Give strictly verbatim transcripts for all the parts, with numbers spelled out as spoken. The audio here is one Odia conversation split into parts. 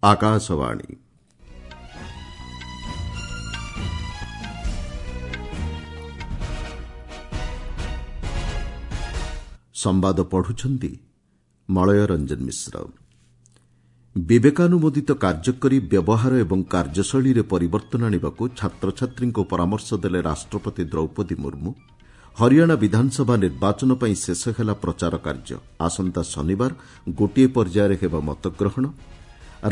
ଆକାଶବାଣୀ। ସମ୍ବାଦ ପଢୁଛନ୍ତି ମଳୟ ରଞ୍ଜନ ମିଶ୍ର। ବିବେକାନୁମୋଦିତ କାର୍ଯ୍ୟ କରି ବ୍ୟବହାର ଏବଂ କାର୍ଯ୍ୟଶୈଳୀରେ ପରିବର୍ତ୍ତନ ଆଣିବାକୁ ଛାତ୍ରଛାତ୍ରୀଙ୍କୁ ପରାମର୍ଶ ଦେଲେ ରାଷ୍ଟ୍ରପତି ଦ୍ରୌପଦୀ ମୁର୍ମୁ। ହରିୟାଣା ବିଧାନସଭା ନିର୍ବାଚନ ପାଇଁ ଶେଷ ହେଲା ପ୍ରଚାର କାର୍ଯ୍ୟ। ଆସନ୍ତା ଶନିବାର ଗୋଟିଏ ପର୍ଯ୍ୟାୟରେ ହେବ ମତଗ୍ରହଣ।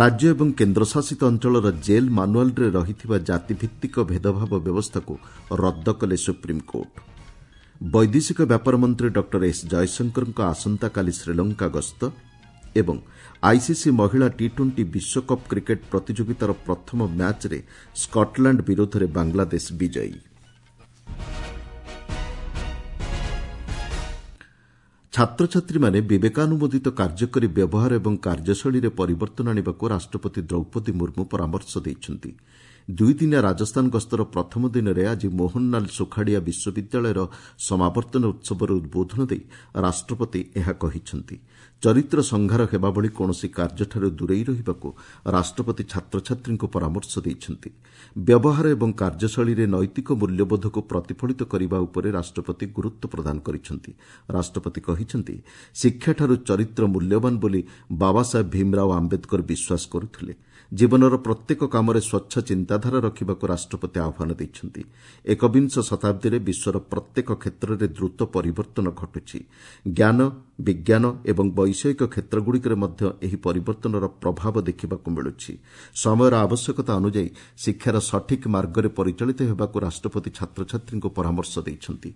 ରାଜ୍ୟ ଏବଂ କେନ୍ଦ୍ରଶାସିତ ଅଞ୍ଚଳର ଜେଲ୍ ମାନୁଆଲ୍ରେ ରହିଥିବା ଜାତିଭିତ୍ତିକ ଭେଦଭାବ ବ୍ୟବସ୍ଥାକୁ ରଦ୍ଦ କଲେ ସୁପ୍ରିମକୋର୍ଟ। ବୈଦେଶିକ ବ୍ୟାପାର ମନ୍ତ୍ରୀ ଡକ୍ଟର ଏସ୍ ଜୟଶଙ୍କରଙ୍କ ଆସନ୍ତାକାଲି ଶ୍ରୀଲଙ୍କା ଗସ୍ତ ଏବଂ ଆଇସିସି ମହିଳା ଟି ଟ୍ୱେଣ୍ଟି ବିଶ୍ୱକପ୍ କ୍ରିକେଟ୍ ପ୍ରତିଯୋଗିତାର ପ୍ରଥମ ମ୍ୟାଚ୍ରେ ସ୍କଟଲ୍ୟାଣ୍ଡ ବିରୋଧରେ ବାଂଲାଦେଶ ବିଜୟୀ। ଛାତ୍ରଛାତ୍ରୀମାନେ ବିବେକାନୁମୋଦିତ କାର୍ଯ୍ୟ କରି ବ୍ୟବହାର ଏବଂ କାର୍ଯ୍ୟଶୈଳୀରେ ପରିବର୍ତ୍ତନ ଆଣିବାକୁ ରାଷ୍ଟ୍ରପତି ଦ୍ରୌପଦୀ ମୁର୍ମୁ ପରାମର୍ଶ ଦେଇଛନ୍ତି। ଦୁଇଦିନିଆ ରାଜସ୍ଥାନ ଗସ୍ତର ପ୍ରଥମ ଦିନରେ ଆଜି ମୋହନଲାଲ ସୁଖାଡ଼ିଆ ବିଶ୍ୱବିଦ୍ୟାଳୟର ସମାବର୍ତ୍ତନ ଉତ୍ସବରେ ଉଦ୍ବୋଧନ ଦେଇ ରାଷ୍ଟ୍ରପତି ଏହା କହିଛନ୍ତି। ଚରିତ୍ର ସଂହାର ହେବା ଭଳି କୌଣସି କାର୍ଯ୍ୟଠାରୁ ଦୂରେଇ ରହିବାକୁ ରାଷ୍ଟ୍ରପତି ଛାତ୍ରଛାତ୍ରୀଙ୍କୁ ପରାମର୍ଶ ଦେଇଛନ୍ତି। ବ୍ୟବହାର ଏବଂ କାର୍ଯ୍ୟଶୈଳୀରେ ନୈତିକ ମୂଲ୍ୟବୋଧକୁ ପ୍ରତିଫଳିତ କରିବା ଉପରେ ରାଷ୍ଟ୍ରପତି ଗୁରୁତ୍ୱ ପ୍ରଦାନ କରିଛନ୍ତି। ରାଷ୍ଟ୍ରପତି କହିଛନ୍ତି, ଶିକ୍ଷାଠାରୁ ଚରିତ୍ର ମୂଲ୍ୟବାନ ବୋଲି ବାବାସାହେବ ଭୀମରାଓ ଆମ୍ବେଦକର ବିଶ୍ୱାସ କରୁଥିଲେ। ଜୀବନର ପ୍ରତ୍ୟେକ କାମରେ ସ୍ୱଚ୍ଛ ଚିନ୍ତାଧାରା ରଖିବାକୁ ରାଷ୍ଟ୍ରପତି ଆହ୍ୱାନ ଦେଇଛନ୍ତି। ଏକବିଂଶ ଶତାବ୍ଦୀରେ ବିଶ୍ୱର ପ୍ରତ୍ୟେକ କ୍ଷେତ୍ରରେ ଦ୍ରୁତ ପରିବର୍ତ୍ତନ ଘଟୁଛି। ଜ୍ଞାନ, ବିଜ୍ଞାନ ଏବଂ ବୈଷୟିକ କ୍ଷେତ୍ରଗୁଡ଼ିକରେ ମଧ୍ୟ ଏହି ପରିବର୍ତ୍ତନର ପ୍ରଭାବ ଦେଖିବାକୁ ମିଳୁଛି। ସମୟର ଆବଶ୍ୟକତା ଅନୁଯାୟୀ ଶିକ୍ଷାର ସଠିକ୍ ମାର୍ଗରେ ପରିଚାଳିତ ହେବାକୁ ରାଷ୍ଟ୍ରପତି ଛାତ୍ରଛାତ୍ରୀଙ୍କୁ ପରାମର୍ଶ ଦେଇଛନ୍ତି।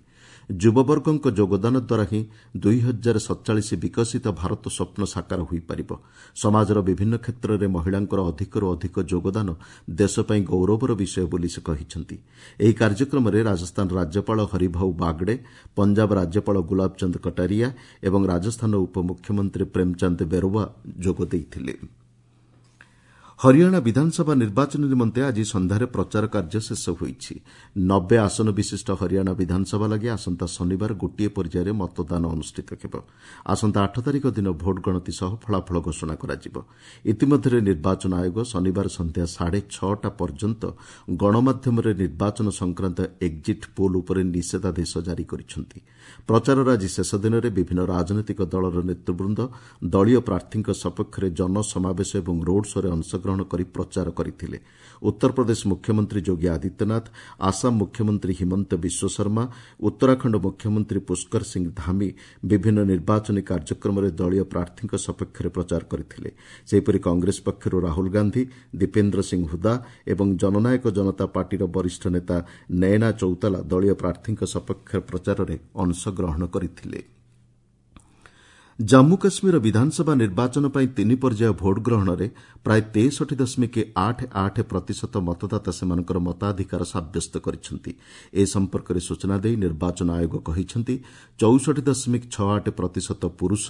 ଯୁବବର୍ଗଙ୍କ ଯୋଗଦାନ ଦ୍ୱାରା ହିଁ ଦୁଇ ହଜାର ସତଚାଳିଶ ବିକଶିତ ଭାରତ ସ୍ୱପ୍ନ ସାକାର ହୋଇପାରିବ। ସମାଜର ବିଭିନ୍ନ କ୍ଷେତ୍ରରେ ମହିଳାଙ୍କର ଅଧିକରୁ ଅଧିକ ଯୋଗଦାନ ଦେଶ ପାଇଁ ଗୌରବର ବିଷୟ ବୋଲି ସେ କହିଛନ୍ତି। ଏହି କାର୍ଯ୍ୟକ୍ରମରେ ରାଜସ୍ଥାନ ରାଜ୍ୟପାଳ ହରିଭାଉ ବାଗଡେ, ପଞ୍ଜାବ ରାଜ୍ୟପାଳ ଗୁଲାବଚନ୍ଦ କଟାରିଆ ଏବଂ ରାଜସ୍ଥାନ ଉପମୁଖ୍ୟମନ୍ତ୍ରୀ ପ୍ରେମଚାନ୍ଦ ବେରୱା ଯୋଗ ଦେଇଥିଲେ। ହରିୟାଣା ବିଧାନସଭା ନିର୍ବାଚନ ନିମନ୍ତେ ଆଜି ସନ୍ଧ୍ୟାରେ ପ୍ରଚାର କାର୍ଯ୍ୟ ଶେଷ ହୋଇଛି। ନବେ ଆସନ ବିଶିଷ୍ଟ ହରିୟାଣା ବିଧାନସଭା ଲାଗି ଆସନ୍ତା ଶନିବାର ଗୋଟିଏ ପର୍ଯ୍ୟାୟରେ ମତଦାନ ଅନୁଷ୍ଠିତ ହେବ। ଆସନ୍ତା ଆଠ ତାରିଖ ଦିନ ଭୋଟ ଗଣତି ସହ ଫଳାଫଳ ଘୋଷଣା କରାଯିବ। ଇତିମଧ୍ୟରେ ନିର୍ବାଚନ ଆୟୋଗ ଶନିବାର ସନ୍ଧ୍ୟା ସାଢ଼େ ଛଅଟା ପର୍ଯ୍ୟନ୍ତ ଗଣମାଧ୍ୟମରେ ନିର୍ବାଚନ ସଂକ୍ରାନ୍ତ ଏକ୍ଜିଟ୍ ପୋଲ୍ ଉପରେ ନିଷେଧାଦେଶ ଜାରି କରିଛନ୍ତି। ପ୍ରଚାରର ଆଜି ଶେଷ ଦିନରେ ବିଭିନ୍ନ ରାଜନୈତିକ ଦଳର ନେତୃବୃନ୍ଦ ଦଳୀୟ ପ୍ରାର୍ଥୀଙ୍କ ସପକ୍ଷରେ ଜନସମାବେଶ ଏବଂ ରୋଡ୍ ଶୋରେ ଅଂଶଗ୍ରହଣ କରି ପ୍ରଚାର କରିଥିଲେ। ଉତ୍ତରପ୍ରଦେଶ ମୁଖ୍ୟମନ୍ତ୍ରୀ ଯୋଗୀ ଆଦିତ୍ୟନାଥ, ଆସାମ ମୁଖ୍ୟମନ୍ତ୍ରୀ ହିମନ୍ତ ବିଶ୍ୱଶର୍ମା, ଉତ୍ତରାଖଣ୍ଡ ମୁଖ୍ୟମନ୍ତ୍ରୀ ପୁଷ୍କର ସିଂ ଧାମି ବିଭିନ୍ନ ନିର୍ବାଚନୀ କାର୍ଯ୍ୟକ୍ରମରେ ଦଳୀୟ ପ୍ରାର୍ଥୀଙ୍କ ସପକ୍ଷରେ ପ୍ରଚାର କରିଥିଲେ। ସେହିପରି କଂଗ୍ରେସ ପକ୍ଷରୁ ରାହୁଲ ଗାନ୍ଧି, ଦୀପେନ୍ଦ୍ର ସିଂ ହୁଦା ଏବଂ ଜନନାୟକ ଜନତା ପାର୍ଟିର ବରିଷ୍ଠ ନେତା ନୟନା ଚୌତାଲା ଦଳୀୟ ପ୍ରାର୍ଥୀଙ୍କ ସପକ୍ଷ ପ୍ରଚାରରେ ଅଂଶଗ୍ରହଣ କରିଥିଲେ। ଜାମ୍ମୁ କାଶ୍ମୀର ବିଧାନସଭା ନିର୍ବାଚନ ପାଇଁ ତିନି ପର୍ଯ୍ୟାୟ ଭୋଟ ଗ୍ରହଣରେ ପ୍ରାୟ ତେଷଠି ଦଶମିକ ଆଠ ଆଠ ପ୍ରତିଶତ ମତଦାତା ସେମାନଙ୍କର ମତାଧିକାର ସାବ୍ୟସ୍ତ କରିଛନ୍ତି। ଏ ସମ୍ପର୍କରେ ସୂଚନା ଦେଇ ନିର୍ବାଚନ ଆୟୋଗ କହିଛନ୍ତି, ଚଉଷଠି ଦଶମିକ ଛଅ ଆଠ ପ୍ରତିଶତ ପୁରୁଷ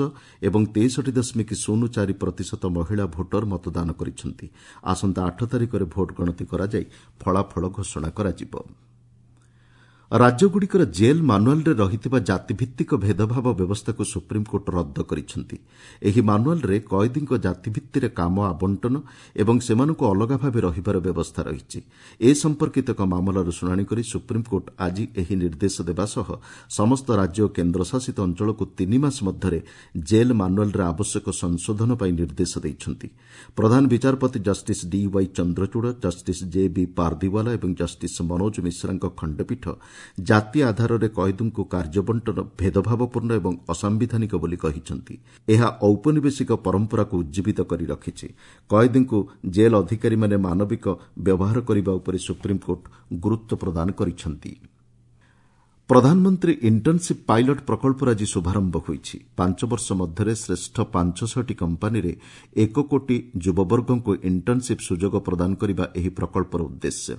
ଏବଂ ତେଷଠି ଦଶମିକ ଶୂନ ଚାରି ପ୍ରତିଶତ ମହିଳା ଭୋଟର ମତଦାନ କରିଛନ୍ତି। ଆସନ୍ତା ଆଠ ତାରିଖରେ ଭୋଟ ଗଣତି କରାଯାଇ ଫଳାଫଳ ଘୋଷଣା କରାଯିବ। ରାଜ୍ୟଗୁଡ଼ିକର ଜେଲ୍ ମାନୁଆଲ୍ରେ ରହିଥିବା ଜାତିଭିତ୍ତିକ ଭେଦଭାବ ବ୍ୟବସ୍ଥାକୁ ସୁପ୍ରିମକୋର୍ଟ ରଦ୍ଦ କରିଛନ୍ତି। ଏହି ମାନୁଆଲ୍ରେ କଏଦୀଙ୍କ ଜାତିଭିତ୍ତିରେ କାମ ଆବଣ୍ଟନ ଏବଂ ସେମାନଙ୍କୁ ଅଲଗା ଭାବେ ରହିବାର ବ୍ୟବସ୍ଥା ରହିଛି। ଏ ସମ୍ପର୍କିତ ଏକ ମାମଲାର ଶୁଣାଣି କରି ସୁପ୍ରିମକୋର୍ଟ ଆଜି ଏହି ନିର୍ଦ୍ଦେଶ ଦେବା ସହ ସମସ୍ତ ରାଜ୍ୟ ଓ କେନ୍ଦ୍ରଶାସିତ ଅଞ୍ଚଳକୁ ତିନି ମାସ ମଧ୍ୟରେ ଜେଲ୍ ମାନୁଆଲ୍ରେ ଆବଶ୍ୟକ ସଂଶୋଧନ ପାଇଁ ନିର୍ଦ୍ଦେଶ ଦେଇଛନ୍ତି। ପ୍ରଧାନ ବିଚାରପତି justice D Y Chandrachud, justice J B Pardiwala ଏବଂ ଜଷ୍ଟିସ୍ ମନୋଜ ମିଶ୍ରାଙ୍କ ଖଣ୍ଡପୀଠ ଜାତି ଆଧାରରେ କଏଦୀଙ୍କୁ କାର୍ଯ୍ୟବଣ୍ଟନ ଭେଦଭାବପୂର୍ଣ୍ଣ ଏବଂ ଅସାମ୍ବିଧାନିକ ବୋଲି କହିଛନ୍ତି। ଏହା ଔପନିବେଶିକ ପରମ୍ପରାକୁ ଉଜ୍ଜୀବିତ କରି ରଖିଛି। କଏଦୀଙ୍କୁ ଜେଲ୍ ଅଧିକାରୀମାନେ ମାନବିକ ବ୍ୟବହାର କରିବା ଉପରେ ସୁପ୍ରିମକୋର୍ଟ ଗୁରୁତ୍ୱ ପ୍ରଦାନ କରିଛନ୍ତି। ପ୍ରଧାନମନ୍ତ୍ରୀ ଇଣ୍ଟର୍ଣ୍ଣସିପ୍ ପାଇଲଟ୍ ପ୍ରକଳ୍ପର ଆଜି ଶୁଭାରମ୍ଭ ହୋଇଛି। ପାଞ୍ଚ ବର୍ଷ ମଧ୍ୟରେ ଶ୍ରେଷ୍ଠ ପାଞ୍ଚଶହଟି କମ୍ପାନୀରେ ଏକ କୋଟି ଯୁବବର୍ଗଙ୍କୁ ଇଣ୍ଟର୍ଣ୍ଣସିପ୍ ସୁଯୋଗ ପ୍ରଦାନ କରିବା ଏହି ପ୍ରକଳ୍ପର ଉଦ୍ଦେଶ୍ୟ।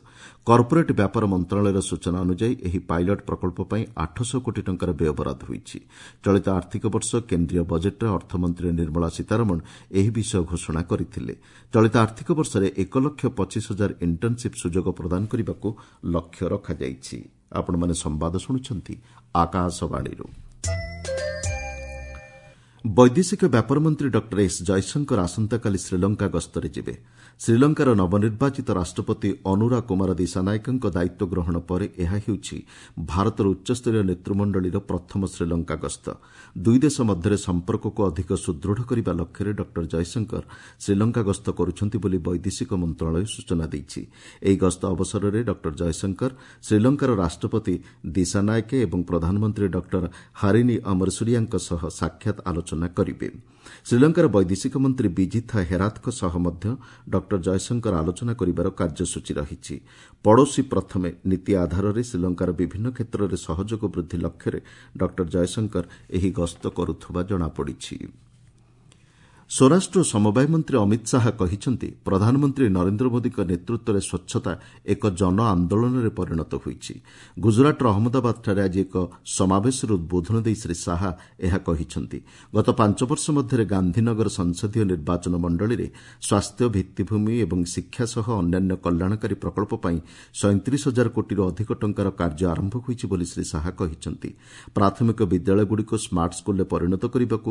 କର୍ପୋରେଟ୍ ବ୍ୟାପାର ମନ୍ତ୍ରଣାଳୟର ସୂଚନା ଅନୁଯାୟୀ ଏହି ପାଇଲଟ୍ ପ୍ରକଳ୍ପ ପାଇଁ ଆଠଶହ କୋଟି ଟଙ୍କାର ବ୍ୟୟବରାଦ ହୋଇଛି। ଚଳିତ ଆର୍ଥିକ ବର୍ଷ କେନ୍ଦ୍ରୀୟ ବଜେଟ୍ରେ ଅର୍ଥମନ୍ତ୍ରୀ ନିର୍ମଳା ସୀତାରମଣ ଏହି ବିଷୟ ଘୋଷଣା କରିଥିଲେ। ଚଳିତ ଆର୍ଥିକ ବର୍ଷରେ ଏକ ଲକ୍ଷ ପଚିଶ ହଜାର ଇଣ୍ଟର୍ଣ୍ଣସିପ୍ ସୁଯୋଗ ପ୍ରଦାନ କରିବାକୁ ଲକ୍ଷ୍ୟ ରଖାଯାଇଛି। ଆପଣମାନେ ସମ୍ବାଦ ଶୁଣୁଛନ୍ତି ଆକାଶବାଣୀରୁ। ବୈଦେଶିକ ବ୍ୟାପାର ମନ୍ତ୍ରୀ ଡକ୍ଟର ଏସ୍ ଜୟଶଙ୍କର ଆସନ୍ତାକାଲି ଶ୍ରୀଲଙ୍କା ଗସ୍ତରେ ଯିବେ। ଶ୍ରୀଲଙ୍କାର ନବନିର୍ବାଚିତ ରାଷ୍ଟ୍ରପତି ଅନୁରା କୁମାର ଦିଶାନାୟକଙ୍କ ଦାୟିତ୍ୱ ଗ୍ରହଣ ପରେ ଏହା ହେଉଛି ଭାରତର ଉଚ୍ଚସ୍ତରୀୟ ନେତୃମଣ୍ଡଳୀର ପ୍ରଥମ ଶ୍ରୀଲଙ୍କା ଗସ୍ତ। ଦୁଇ ଦେଶ ମଧ୍ୟରେ ସମ୍ପର୍କକୁ ଅଧିକ ସୁଦୃଢ଼ କରିବା ଲକ୍ଷ୍ୟରେ ଡକ୍ଟର ଜୟଶଙ୍କର ଶ୍ରୀଲଙ୍କା ଗସ୍ତ କରୁଛନ୍ତି ବୋଲି ବୈଦେଶିକ ମନ୍ତ୍ରଣାଳୟ ସୂଚନା ଦେଇଛି। ଏହି ଗସ୍ତ ଅବସରରେ ଡକ୍ଟର ଜୟଶଙ୍କର ଶ୍ରୀଲଙ୍କାର ରାଷ୍ଟ୍ରପତି ଦିଶାନାୟକେ ଏବଂ ପ୍ରଧାନମନ୍ତ୍ରୀ ଡକ୍ଟର ହାରିନି ଅମରସୁରିଆଙ୍କ ସହ ସାକ୍ଷାତ ଆଲୋଚନା କରିବେ। ଶ୍ରୀଲଙ୍କାର ବୈଦେଶିକ ମନ୍ତ୍ରୀ ବିଜିଥା ହେରାଥଙ୍କ ସହ ମଧ୍ୟ ଡକ୍ଟର ଜୟଶଙ୍କର ଆଲୋଚନା କରିବାର କାର୍ଯ୍ୟସୂଚୀ ରହିଛି। ପଡ଼ୋଶୀ ପ୍ରଥମେ ନୀତି ଆଧାରରେ ଶ୍ରୀଲଙ୍କାର ବିଭିନ୍ନ କ୍ଷେତ୍ରରେ ସହଯୋଗ ବୃଦ୍ଧି ଲକ୍ଷ୍ୟରେ ଡକ୍ଟର ଜୟଶଙ୍କର ଏହି ଗସ୍ତ କରୁଥିବା ଜଣାପଡ଼ିଛି। ସ୍ୱରାଷ୍ଟ୍ର ଓ ସମବାୟ ମନ୍ତ୍ରୀ ଅମିତ ଶାହା କହିଛନ୍ତି, ପ୍ରଧାନମନ୍ତ୍ରୀ ନରେନ୍ଦ୍ର ମୋଦିଙ୍କ ନେତୃତ୍ୱରେ ସ୍ୱଚ୍ଛତା ଏକ ଜନ ଆନ୍ଦୋଳନରେ ପରିଣତ ହୋଇଛି। ଗୁଜରାଟର ଅହମ୍ମଦାବାଦଠାରେ ଆଜି ଏକ ସମାବେଶରେ ଉଦ୍ବୋଧନ ଦେଇ ଶ୍ରୀ ଶାହା ଏହା କହିଛନ୍ତି। ଗତ ପାଞ୍ଚ ବର୍ଷ ମଧ୍ୟରେ ଗାନ୍ଧୀନଗର ସଂସଦୀୟ ନିର୍ବାଚନ ମଣ୍ଡଳୀରେ ସ୍ୱାସ୍ଥ୍ୟ, ଭିତ୍ତିଭୂମି ଏବଂ ଶିକ୍ଷା ସହ ଅନ୍ୟାନ୍ୟ କଲ୍ୟାଣକାରୀ ପ୍ରକଳ୍ପ ପାଇଁ ସଇଁତିରିଶ ହଜାର କୋଟିରୁ ଅଧିକ ଟଙ୍କାର କାର୍ଯ୍ୟ ଆରମ୍ଭ ହୋଇଛି ବୋଲି ଶ୍ରୀ ଶାହା କହିଛନ୍ତି। ପ୍ରାଥମିକ ବିଦ୍ୟାଳୟଗୁଡ଼ିକୁ ସ୍ମାର୍ଟ ସ୍କୁଲରେ ପରିଣତ କରିବାକୁ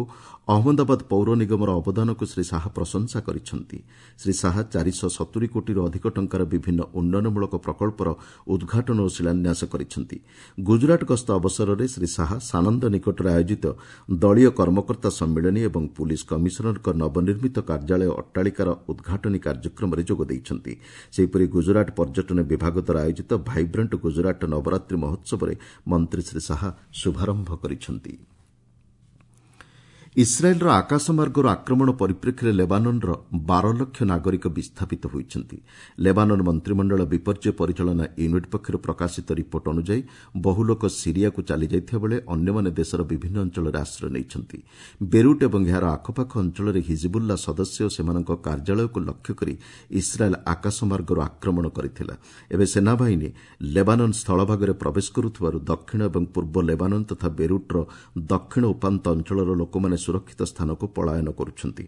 ଅହମ୍ମଦାବାଦ ପୌର ନିଗମର ଅବଦାନକୁ ଶ୍ରୀ ଶାହା ପ୍ରଶଂସା କରିଛନ୍ତି। ଶ୍ରୀ ଶାହା ଚାରିଶହ ସତୁରି କୋଟିରୁ ଅଧିକ ଟଙ୍କାର ବିଭିନ୍ନ ଉନ୍ନୟନମୂଳକ ପ୍ରକଳ୍ପର ଉଦ୍ଘାଟନ ଓ ଶିଳାନ୍ୟାସ କରିଛନ୍ତି। ଗୁଜରାଟ ଗସ୍ତ ଅବସରରେ ଶ୍ରୀ ଶାହା ସାନନ୍ଦ ନିକଟରେ ଆୟୋଜିତ ଦଳୀୟ କର୍ମକର୍ତ୍ତା ସମ୍ମିଳନୀ ଏବଂ ପୁଲିସ କମିଶନରଙ୍କ ନବନିର୍ମିତ କାର୍ଯ୍ୟାଳୟ ଅଟ୍ଟାଳିକାର ଉଦ୍ଘାଟନୀ କାର୍ଯ୍ୟକ୍ରମରେ ଯୋଗ ଦେଇଛନ୍ତି। ସେହିପରି ଗୁଜରାଟ ପର୍ଯ୍ୟଟନ ବିଭାଗ ଦ୍ୱାରା ଆୟୋଜିତ ଭାଇବ୍ରାଣ୍ଟ ଗୁଜରାଟ ନବରାତ୍ରି ମହୋତ୍ସବରେ ମନ୍ତ୍ରୀ ଶ୍ରୀ ଶାହା ଶୁଭାରମ୍ଭ କରିଛନ୍ତି। ଇସ୍ରାଏଲ୍ର ଆକାଶମାର୍ଗରୁ ଆକ୍ରମଣ ପରିପ୍ରେକ୍ଷୀରେ ଲେବାନନ୍ର ବାର ଲକ୍ଷ ନାଗରିକ ବିସ୍ଥାପିତ ହୋଇଛନ୍ତି। ଲେବାନନ୍ ମନ୍ତ୍ରିମଣ୍ଡଳ ବିପର୍ଯ୍ୟୟ ପରିଚାଳନା ୟୁନିଟ୍ ପକ୍ଷରୁ ପ୍ରକାଶିତ ରିପୋର୍ଟ ଅନୁଯାୟୀ ବହୁ ଲୋକ ସିରିଆକୁ ଚାଲିଯାଇଥିବା ବେଳେ ଅନ୍ୟମାନେ ଦେଶର ବିଭିନ୍ନ ଅଞ୍ଚଳରେ ଆଶ୍ରୟ ନେଇଛନ୍ତି। ବେରୁଟ୍ ଏବଂ ଏହାର ଆଖପାଖ ଅଞ୍ଚଳରେ ହିଜିବୁଲ୍ଲା ସଦସ୍ୟ ଓ ସେମାନଙ୍କ କାର୍ଯ୍ୟାଳୟକୁ ଲକ୍ଷ୍ୟ କରି ଇସ୍ରାଏଲ୍ ଆକାଶମାର୍ଗରୁ ଆକ୍ରମଣ କରିଥିଲା। ଏବେ ସେନାବାହିନୀ ଲେବାନନ୍ ସ୍ଥଳଭାଗରେ ପ୍ରବେଶ କରୁଥିବାରୁ ଦକ୍ଷିଣ ଏବଂ ପୂର୍ବ ଲେବାନନ୍ ତଥା ବେରୁଟ୍ର ଦକ୍ଷିଣ ଉପାନ୍ତ ଅଞ୍ଚଳର ଲୋକମାନେ ସୁରକ୍ଷିତ ସ୍ଥାନକୁ ପଳାୟନ କରୁଛନ୍ତି।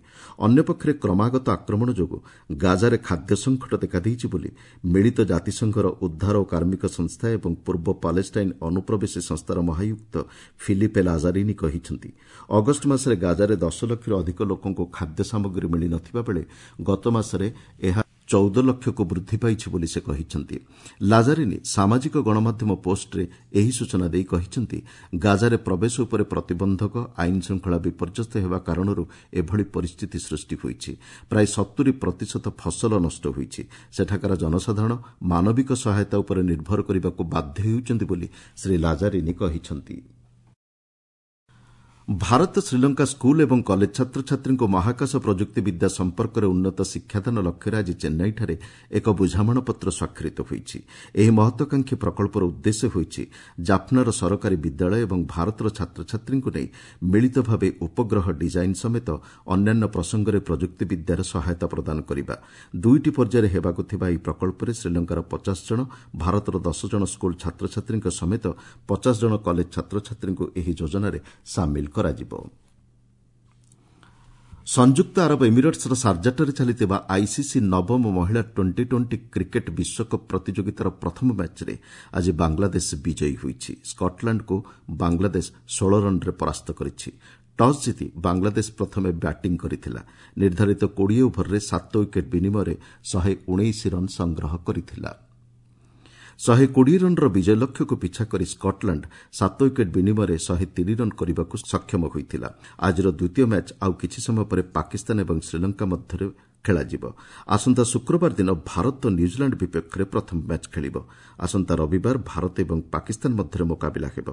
ଅନ୍ୟପକ୍ଷରେ କ୍ରମାଗତ ଆକ୍ରମଣ ଯୋଗୁଁ ଗାଜାରେ ଖାଦ୍ୟ ସଙ୍କଟ ଦେଖାଦେଇଛି ବୋଲି ମିଳିତ ଜାତିସଂଘର ଉଦ୍ଧାର ଓ କାର୍ମିକ ସଂସ୍ଥା ଏବଂ ପୂର୍ବ ପାଲେଷ୍ଟାଇନ୍ ଅନୁପ୍ରବେଶୀ ସଂସ୍ଥାର ମହାୟୁକ୍ତ ଫିଲିପେ ଲାଜାରିନି କହିଛନ୍ତି। ଅଗଷ୍ଟ ମାସରେ ଗାଜାରେ ଦଶ ଲକ୍ଷରୁ ଅଧିକ ଲୋକଙ୍କୁ ଖାଦ୍ୟ ସାମଗ୍ରୀ ମିଳିନଥିବା ବେଳେ ଗତ ମାସରେ ଏହା ଚଉଦ ଲକ୍ଷକୁ ବୃଦ୍ଧି ପାଇଛି ବୋଲି ସେ କହିଛନ୍ତି। ଲାଜାରିନି ସାମାଜିକ ଗଣମାଧ୍ୟମ ପୋଷ୍ଟରେ ଏହି ସୂଚନା ଦେଇ କହିଛନ୍ତି, ଗାଜାରେ ପ୍ରବେଶ ଉପରେ ପ୍ରତିବନ୍ଧକ, ଆଇନ ଶୃଙ୍ଖଳା ବିପର୍ଯ୍ୟସ୍ତ ହେବା କାରଣରୁ ଏଭଳି ପରିସ୍ଥିତି ସୃଷ୍ଟି ହୋଇଛି। ପ୍ରାୟ ସତୁରି ପ୍ରତିଶତ ଫସଲ ନଷ୍ଟ ହୋଇଛି। ସେଠାକାର ଜନସାଧାରଣ ମାନବିକ ସହାୟତା ଉପରେ ନିର୍ଭର କରିବାକୁ ବାଧ୍ୟ ହେଉଛନ୍ତି ବୋଲି ଶ୍ରୀ ଲାଜାରିନି କହିଛନ୍ତି। ଭାରତ ଶ୍ରୀଲଙ୍କା ସ୍କୁଲ ଏବଂ କଲେଜ ଛାତ୍ରଛାତ୍ରୀଙ୍କୁ ମହାକାଶ ପ୍ରଯୁକ୍ତିବିଦ୍ୟା ସମ୍ପର୍କରେ ଉନ୍ନତ ଶିକ୍ଷାଦାନ ଲକ୍ଷ୍ୟରେ ଆଜି ଚେନ୍ନାଇଠାରେ ଏକ ବୁଝାମଣାପତ୍ର ସ୍ୱାକ୍ଷରିତ ହୋଇଛି। ଏହି ମହତ୍ୱାକାଂକ୍ଷୀ ପ୍ରକଳ୍ପର ଉଦ୍ଦେଶ୍ୟ ହୋଇଛି ଜାଫ୍ନାର ସରକାରୀ ବିଦ୍ୟାଳୟ ଏବଂ ଭାରତର ଛାତ୍ରଛାତ୍ରୀଙ୍କୁ ନେଇ ମିଳିତ ଭାବେ ଉପଗ୍ରହ ଡିଜାଇନ୍ ସମେତ ଅନ୍ୟାନ୍ୟ ପ୍ରସଙ୍ଗରେ ପ୍ରଯୁକ୍ତିବିଦ୍ୟାର ସହାୟତା ପ୍ରଦାନ କରିବା। ଦୁଇଟି ପର୍ଯ୍ୟାୟରେ ହେବାକୁ ଥିବା ଏହି ପ୍ରକଳ୍ପରେ ଶ୍ରୀଲଙ୍କାର ପଚାଶ ଜଣ, ଭାରତର ଦଶ ଜଣ ସ୍କୁଲ ଛାତ୍ରଛାତ୍ରୀଙ୍କ ସମେତ ପଚାଶ ଜଣ କଲେଜ ଛାତ୍ରଛାତ୍ରୀଙ୍କୁ ଏହି ଯୋଜନାରେ ସାମିଲ କରାଯିବ। ସଂଯୁକ୍ତ ଆରବ ଏମିରେଟ୍ସର ସାର୍ଜାଠାରେ ଚାଲିଥିବା ଆଇସିସି ନବମ ମହିଳା ଟ୍ୱେଣ୍ଟି ଟ୍ୱେଣ୍ଟି କ୍ରିକେଟ୍ ବିଶ୍ୱକପ୍ ପ୍ରତିଯୋଗିତାର ପ୍ରଥମ ମ୍ୟାଚ୍ରେ ଆଜି ବାଂଲାଦେଶ ବିଜୟୀ ହୋଇଛି। ସ୍କଟଲାଣ୍ଡକୁ ବାଂଲାଦେଶ ଷୋହଳ ରନ୍ରେ ପରାସ୍ତ କରିଛି। ଟସ୍ ଜିତି ବାଂଲାଦେଶ ପ୍ରଥମେ ବ୍ୟାଟିଂ କରିଥିଲା। ନିର୍ଦ୍ଧାରିତ କୋଡ଼ିଏ ଓଭରରେ ସାତ ୱିକେଟ୍ ବିନିମୟରେ ଶହେ ଉଣେଇଶ ରନ୍ ସଂଗ୍ରହ କରିଥିଲା। ଶହେ କୋଡ଼ିଏ ରନ୍ର ବିଜୟ ଲକ୍ଷ୍ୟକୁ ପିଛା କରି ସ୍କଟଲାଣ୍ଡ ସାତ ୱିକେଟ୍ ବିନିମୟରେ ଶହେ ତିନି ରନ୍ କରିବାକୁ ସକ୍ଷମ ହୋଇଥିଲା। ଆଜିର ଦ୍ୱିତୀୟ ମ୍ୟାଚ୍ ଆଉ କିଛି ସମୟ ପରେ ପାକିସ୍ତାନ ଏବଂ ଶ୍ରୀଲଙ୍କା ମଧ୍ୟରେ ଖେଳାଯିବ। ଆସନ୍ତା ଶୁକ୍ରବାର ଦିନ ଭାରତ ନ୍ୟୁଜିଲାଣ୍ଡ ବିପକ୍ଷରେ ପ୍ରଥମ ମ୍ୟାଚ୍ ଖେଳିବ। ଆସନ୍ତା ରବିବାର ଭାରତ ଏବଂ ପାକିସ୍ତାନ ମଧ୍ୟରେ ମୁକାବିଲା ହେବ।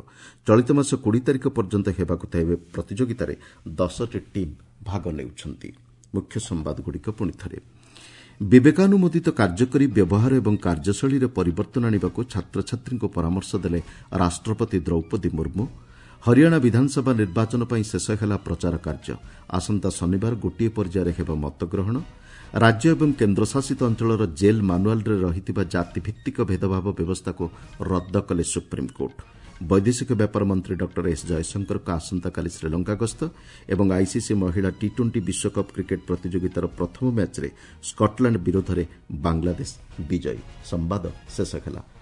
ଚଳିତ ମାସ କୋଡ଼ିଏ ତାରିଖ ପର୍ଯ୍ୟନ୍ତ ହେବାକୁ ଥିବା ପ୍ରତିଯୋଗିତାରେ ଦଶଟି ଟିମ୍ ଭାଗ ନେଉଛନ୍ତି। ମୁଖ୍ୟ ସମ୍ବାଦଗୁଡ଼ିକ ପୁଣିଥରେ ବିବେକାନୁମୋଦିତ କାର୍ଯ୍ୟକରି ବ୍ୟବହାର ଏବଂ କାର୍ଯ୍ୟଶୈଳୀରେ ପରିବର୍ତ୍ତନ ଆଣିବାକୁ ଛାତ୍ରଛାତ୍ରୀଙ୍କୁ ପରାମର୍ଶ ଦେଲେ ରାଷ୍ଟ୍ରପତି ଦ୍ରୌପଦୀ ମୁର୍ମୁ। ହରିୟାଣା ବିଧାନସଭା ନିର୍ବାଚନ ପାଇଁ ଶେଷ ହେଲା ପ୍ରଚାର କାର୍ଯ୍ୟ। ଆସନ୍ତା ଶନିବାର ଗୋଟିଏ ପର୍ଯ୍ୟାୟରେ ହେବ ମତଗ୍ରହଣ। ରାଜ୍ୟ ଏବଂ କେନ୍ଦ୍ରଶାସିତ ଅଞ୍ଚଳର ଜେଲ୍ ମାନୁଆଲ୍ରେ ରହିଥିବା ଜାତିଭିତ୍ତିକ ଭେଦଭାବ ବ୍ୟବସ୍ଥାକୁ ରଦ୍ଦ କଲେ ସୁପ୍ରିମକୋର୍ଟ। ବୈଦେଶିକ ବ୍ୟାପାର ମନ୍ତ୍ରୀ ଡକ୍ଟର ଏସ୍ ଜୟଶଙ୍କରଙ୍କ ଆସନ୍ତାକାଲି ଶ୍ରୀଲଙ୍କା ଗସ୍ତ ଏବଂ ଆଇସିସି ମହିଳା ଟି ଟ୍ୱେଣ୍ଟି ବିଶ୍ୱକପ୍ କ୍ରିକେଟ୍ ପ୍ରତିଯୋଗିତାର ପ୍ରଥମ ମ୍ୟାଚ୍ରେ ସ୍କଟଲାଣ୍ଡ ବିରୋଧରେ ବାଂଲାଦେଶ ବିଜୟୀ। ସମ୍ବାଦ ଶେଷ ହେଲା।